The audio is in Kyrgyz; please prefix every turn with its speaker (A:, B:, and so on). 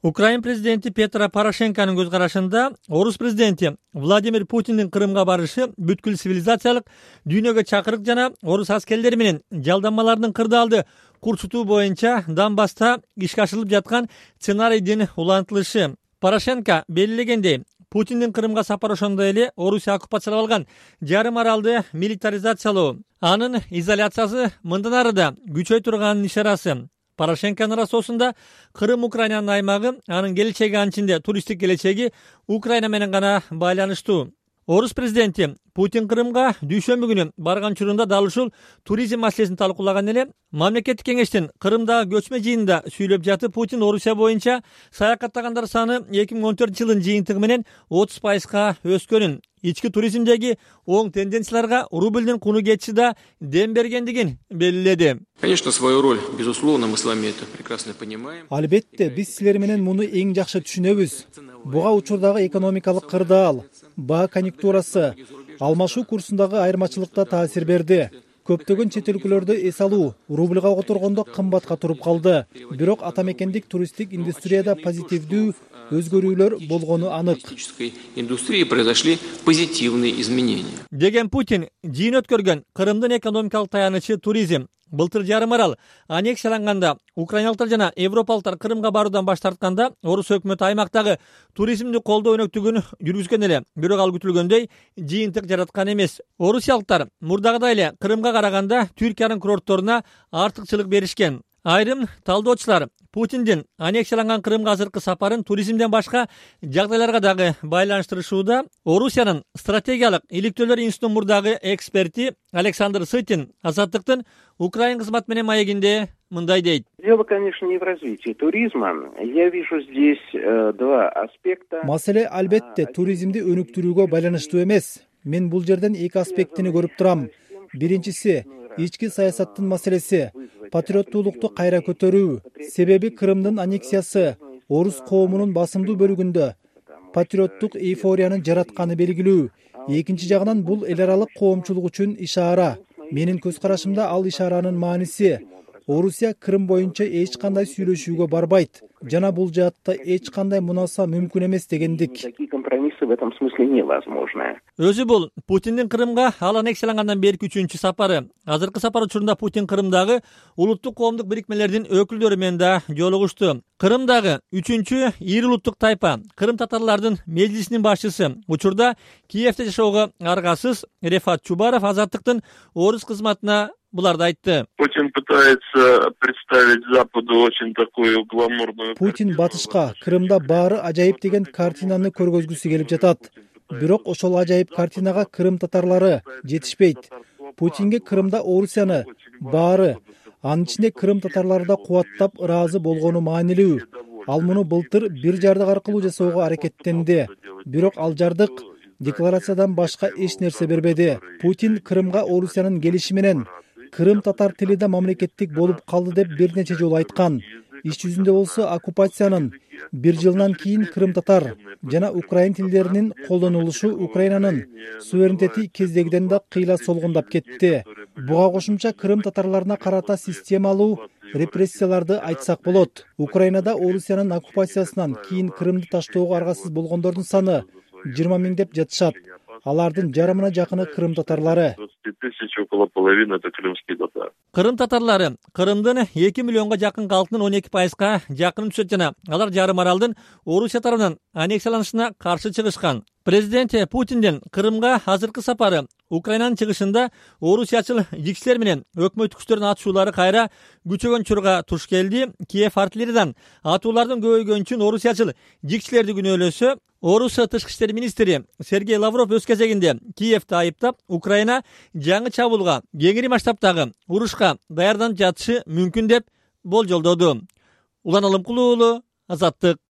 A: Украин президенти Петро Порошенконун көз карашында орус президенти Владимир Путиндин Крымга барышы бүткүл цивилизациялык дүйнөгө чакырык жана орус аскерлери менен жалданмалардын кырдаалды курчутуу боюнча Донбасста ишке ашырылып жаткан сценарийдин улантылышы. Порошенко белгилегендей, Путиндин Крымга сапары ошондой эле Орусия оккупациялап алган жарым аралды милитаризациялоо, анын изоляциясы мындан ары да күчөй турганын ишарасы. Порошенконун расоосунда Крым Украинанын аймагы, анын келечеги анчинде туристтик келечеги Украина менен гана байланыштуу. Орус президенти Путин Крымга дүйшөмбү күнү барган учурунда дал ушул туризм маселесин талкуулаган эле. Мамлекеттик кеңештин Крымдагы көчмө жыйынында сүйлөп жатып, Путин Орусия боюнча саякаттагандар саны 2014-жылдын жыйынтыгы менен 30%га өскөнүн, ички туризмдеги оң тенденцияларга рубльдин куну кетиши да дем бергендигин белгиледи.
B: Конечно, свою роль, безусловно, мы с вами это прекрасно понимаем.
C: Албетте, биз силер менен муну эң жакшы түшүнөбүз. Буга учурдагы экономикалык кырдаал, баа конъюнктурасы, алмашуу курсундагы айырмачылыкта таасир берди. Көптөгөн чет өлкөлөрдө эс алуу рубльга которгондо кымбатка туруп калды. Бирок ата мекендик туристтик индустрияда позитивдүү өзгөрүүлөр болгону анык.
B: Индустрии произошли позитивные изменения.
A: Деген Путин жыйын өткөргөн Крымдын экономикалык таянычы туризм. Былтыр жарым арал аннексияланганда украиналыктар жана европалыктар Крымга баруудан баш тартканда орус өкмөтү аймактагы туризмди колдоо өнөктүгүн жүргүзгөн эле. Бирок ал күтүлгөндөй жыйынтык жараткан эмес. Орусиялыктар мурдагыдай эле Крымга караганда Түркиянын курортторуна артыкчылык беришкен. Айрым талдоочулар Путиндин аннексияланган Крымга азыркы сапарын туризмден башка жагдайларга дагы байланыштырышууда. Орусиянын стратегиялык иликтөөлөр институтунун мурдагы эксперти Александр Сытин Азаттыктын Украин кызмат менен маегинде мындай дейт.
D: Дело, конечно, не в развитии туризма. Я вижу здесь два аспекта.
C: Маселе албетте туризмди өнүктүрүүгө байланыштуу эмес. Мен бул жерден эки аспектини көрүп турам. Биринчиси ички саясаттын маселеси, патриоттуулукту кайра көтөрүү. Себеби Крымдын аннексиясы орус коомунун басымдуу бөлүгүндө патриоттук эйфорияны жаратканы белгилүү. Экинчи жагынан бул эл аралык коомчулук үчүн ишаара. Менин көз карашымда ал ишааранын мааниси Орусия Крым боюнча эч кандай сүйлөшүүгө барбайт жана бул жаатта эч кандай мунаса мүмкүн эмес дегендик.
D: Такие компромиссы в этом смысле невозможны.
A: Өзү бул Путиндин Крымга ал аннексиялангандан берки 3-чү сапары. Азыркы сапар учурунда Путин Крымдагы улуттук коомдук бирикмелердин өкүлдөрү менен да жолугушту. Крымдагы 3-чү ири улуттук тайпа Крым татарлардын межлисинин башчысы учурда Киевде жашоого аргасыз Рефат Чубаров Азаттыктын орус кызматына буларды айтты.
E: Путин пытается представить Западу очень такую гламурную.
C: Путин батышка Крымда баары ажайып деген картинаны көргөзгүсү келип жатат. Бирок ошол ажайып картинага Крым татарлары жетишпейт. Путинге Крымда Орусияны баары, анын ичинде Крым татарлары да кубаттап ыраазы болгону маанилүү. Ал муну былтыр бир жардык аркылуу жасоого аракеттенди. Бирок ал жардык декларациядан башка эч нерсе бербеди. Путин Крымга Орусиянын келиши менен Крым татар тили да мамлекеттик болуп калды деп бир нече жолу айткан. Иш жүзүндө болсо оккупациянын 1 жылдан кийин Крым татар жана украин тилдеринин колдонулушу Украинанын суверенитети кездегиден да кыйла солгундап кетти. Буга кошумча Крым татарларына карата системалуу репрессияларды айтсак болот. Украинада Орусиянын оккупациясынан кийин Крымды таштоого аргасыз болгондордун саны 20 000 деп жатышат. Алардын жарымына жакыны Крым татарлары.
E: 20 000, около половины это крымские татары.
A: Крым татарлары Крымдын 2 миллионго жакын калкынын 12%га жакын түшөт жана алар жарым аралдын Орусия тарабынан аннексияланышына каршы чыгышкан. Президент Путиндин Крымга азыркы сапары Украинанын чыгышында орусиячыл жикчилер менен өкмөт күчтөрүнүн атышуулары кайра күчөгөн чурга туш келди. Киев артиллериядан атуулардын көбөйгөнү үчүн орусиячыл жикчилерди күнөөлөсө, Орус тышкы иштер министри Сергей Лавров өз кезегинде Киевди айыптап, Украина жаңы чабуулга, кеңири масштабтагы урушка даярданып жатышы мүмкүн деп болжолдоду. Улан Алымкулуу, Азаттык.